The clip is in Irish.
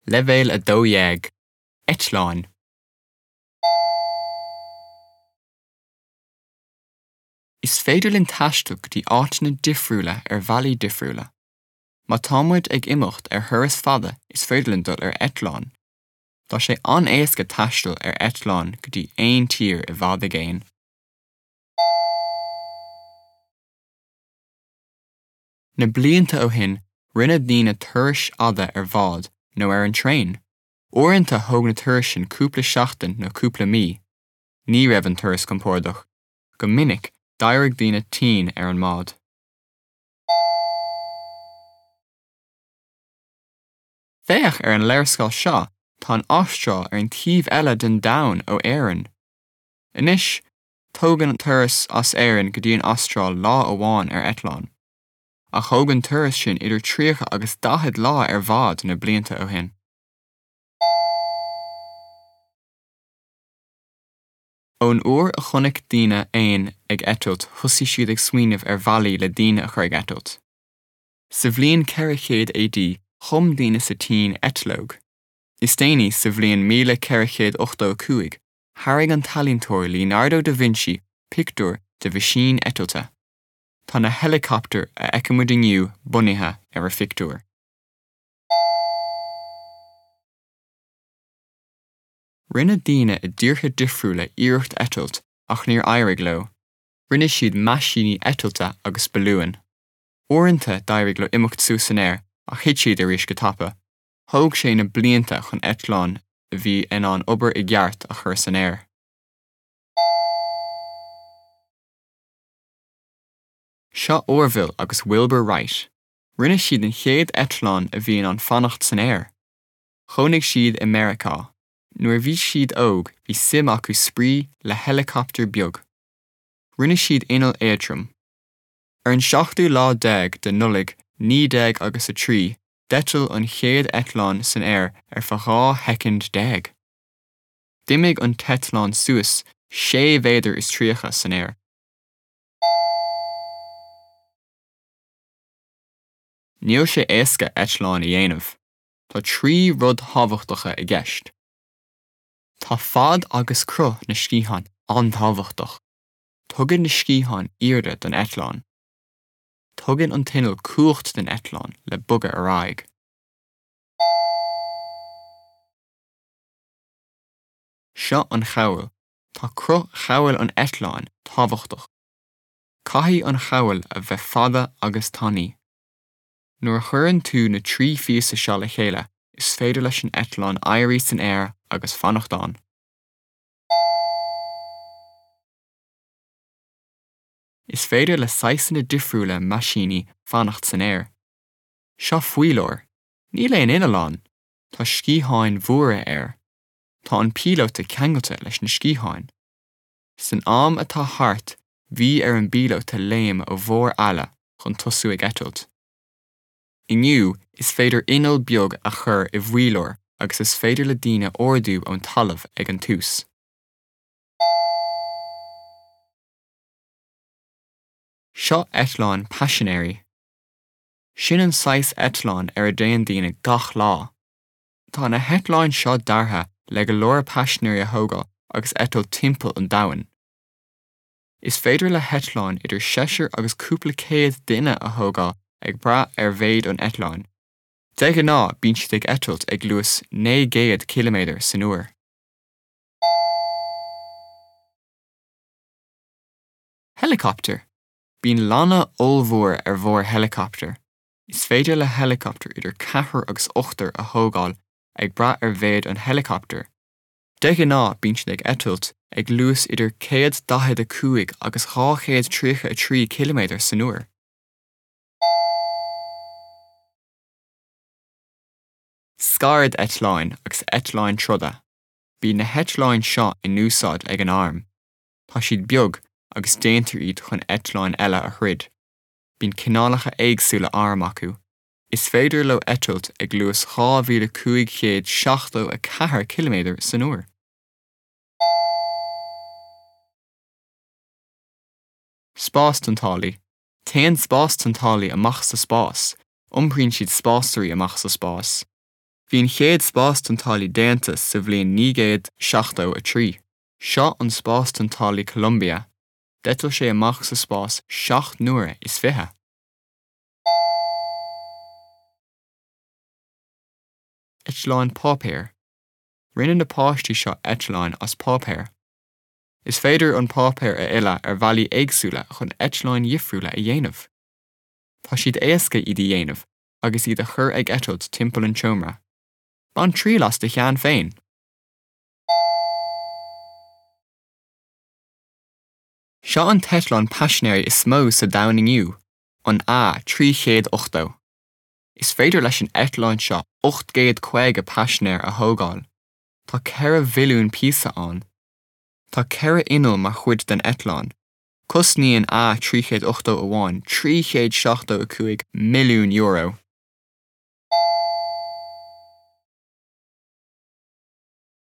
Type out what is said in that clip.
Leibhéal 12, Eitleáin. Is féidir linn taisteal go dtí áiteanna difriúla ar bhealaí difriúla. Má tá muid ag imeacht ar thuras fada is féidir linn dul ar eitleán. Tá sé an-éasca taisteal ar eitleán go dtí aon tír i bhfad i gcéin. Na blianta ó shin, rinne daoine turais fhada ar bhád nó ar an traein. Uaireanta thóg na turais sin cúpla seachtain nó cúpla mí. Ní raibh an turas compordach. Go minic, d'éirigh daoine tinn ar an mbád. Féach ar an léarscáil seo, tá an Astráil ar an taobh eile den domhan ó Éirinn. Anois, tógann an turas as Éirinn go dtí an Astráil lá amháin ar eitleán. Ach thóg an turas sin idir 30 agus 40 lá ar bhád na blianta ó shin. Ón uair a chonaic daoine éin ag eitilt thosaigh siad ag smaoineamh ar bhealaí le daoine a chur ag eitilt. Sa bhliain 400 AD chum daoine sa tSín eitleog. Is déanaí, sa bhliain 1485, tharraing an t-ealaíontóir Leonardo da Vinci pictiúr de mheaisín eitilte. Tá na heileacaptair a fheicimid inniu bunaithe ar a phictiúr. Rinne daoine i dtíortha difriúla iarracht eitilt ach níor éirigh leo. Rinne siad meaisíní eitilte agus balúin. Uaireanta d'éirigh leo imeacht suas san aer ach thit siad arís go tapa. Thóg sé na blianta chun eitleán a bhí in ann obair i gceart a chur san aer. Seo Orville agus Wilbur Wright. Rinne siad an chéad eitleán a bhí in ann fanacht san aer. Chónaigh siad i Meiriceá. Nuair a bhí siad óg bhí suim acu spraoi le heileacaptar beag. Rinne siad inneall éadrom. Ar an seachtú lá déag de Nollaig 19 agus a 3 d'eitil an chéad eitleán san aer ar feadh 12 shoicind. D'imigh an t-eitleán suas 6 mhéadar is 30 san aer. Níl sé éasca eitleán a dhéanamh. Tá 3 rud thábhachtacha i gceist. Tá fad agus cruth na sciathán an-tábhachtach. Tugann na sciatháin airde don eitleán. Tugann an t-inneall cumhacht don eitleán le bogadh ar aghaidh. Seo an chabhail. Tá cruth chabhail an eitleáin tábhachtach. Caithfidh an chabhail a bheith fada agus tanaí. Nuair a chuireann tú na 3 phíosa seo le chéile, is féidir leis an eitleán éirí san aer agus fanacht ann. Is féidir le saghsanna difriúla meaisíní fanacht san aer. Seo faoileoir. Níl aon inneall ann. Tá sciatháin mhóra air. Tá an píolóta ceangailte leis na sciatháin. San am atá thart bhí ar an bpíolóta léim ó bharr eala chun tosú ag eitilt. Inniu is féidir inneall beag a chur i bhfaoileoir agus is féidir le daoine ardú ón talamh ag an tús. Seo eitleán paisinéirí. Sin an saghas eitleáin ar a dtéann daoine gach lá. Tá na heitleáin seo deartha le go leor paisinéirí a thógáil agus eitilt timpeall an domhain. Is féidir le heitleáin idir seisear agus cúpla céad duine a thógáil ag brath ar mhéid an eitleáin. De ghnáth bíonn siad ag eitilt ag luas 900 ciliméadar san uair. Helicopter. Bíonn lanna ollmhór ar bharr heileacaptair. Is féidir le heileacaptar idir ceathrar agus ochtar a thógáil ag brath ar mhéid an heileacaptair. De ghnáth bíonn siad ag eitilt ag luas idir 145 agus 233 ciliméadar san uair. Scairdeitleáin agus eitleáin troda. Bíonn na heitleáin seo in úsáid ag an arm. Tá siad beag agus déantar iad chun eitleáin eile a throid. Bíonn cineálacha éagsúla arm acu. Is féidir leo eitilt ag luas 2,574 ciliméadar san uair. Spástointeálaí. Téann spástointeálaí amach sa spás. Iompraíonn siad spásairí amach sa spás. Bhí an chéad spástointeálaí déanta sa bhliain 1973. Seo an spástointeálaí Columbia. D'eitil sé amach sa spás 7 n-uaire is 20. Eitleáin páipéir. Rinne na páistí seo eitleáin as páipéar. Is féidir an páipéar a fhilleadh ar bhealaí éagsúla chun eitleáin dhifriúla a dhéanamh. Tá siad éasca iad a dhéanamh agus iad a chur ag eitilt timpeall an tseomra. Bain triail as do cheann féin! Seo an t-eitleán paisinéirí is mó sa domhan inniu, an A380. Is féidir leis an eitleán seo 850 paisinéir a thógáil. Tá 4 mhilliún píosa ann. Tá 4 inneall mar chuid den eitleán. Cosnaíonn A381 €375 milliún.